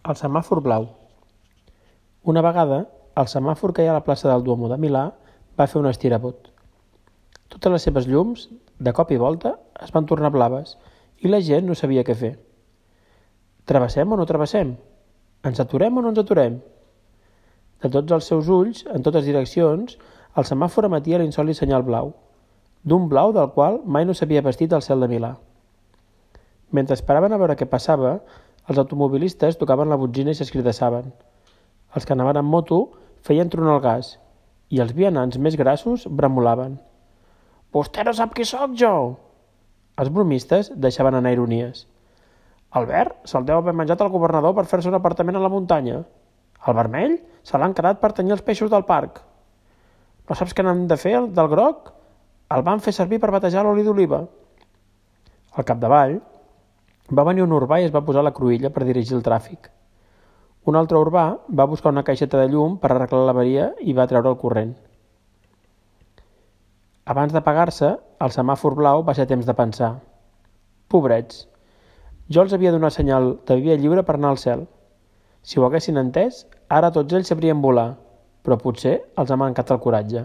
El semàfor blau. Una vegada, el semàfor que hi ha a la plaça del Duomo de Milà va fer un estirabot. Totes les seves llums, de cop i volta, es van tornar blaves i la gent no sabia què fer. Travessem o no travessem? Ens aturem o no ens aturem? De tots els seus ulls, en totes direccions, el semàfor emetia l'insòlit senyal blau, d'un blau del qual mai no s'havia vestit el cel de Milà. Mentre esperaven a veure què passava, els automobilistes tocaven la botzina i s'escridassaven. Els que anaven amb moto feien tronar el gas i els vianants més grassos bramulaven. «Vostè no sap qui sóc jo!» Els bromistes deixaven anar ironies. «Albert se'l deu haver menjat el governador per fer-se un apartament a la muntanya. El vermell se l'han quedat per tenyir els peixos del parc. No saps què n'han de fer del groc? El van fer servir per batejar l'oli d'oliva». Al capdavall va venir un urbà i es va posar a la cruïlla per dirigir el tràfic. Un altre urbà va buscar una caixeta de llum per arreglar l'avaria i va treure el corrent. Abans d'apagar-se, el semàfor blau va ser temps de pensar. Pobrets, jo els havia donat senyal de via lliure per anar al cel. Si ho haguessin entès, ara tots ells sabrien volar, però potser els ha mancat el coratge.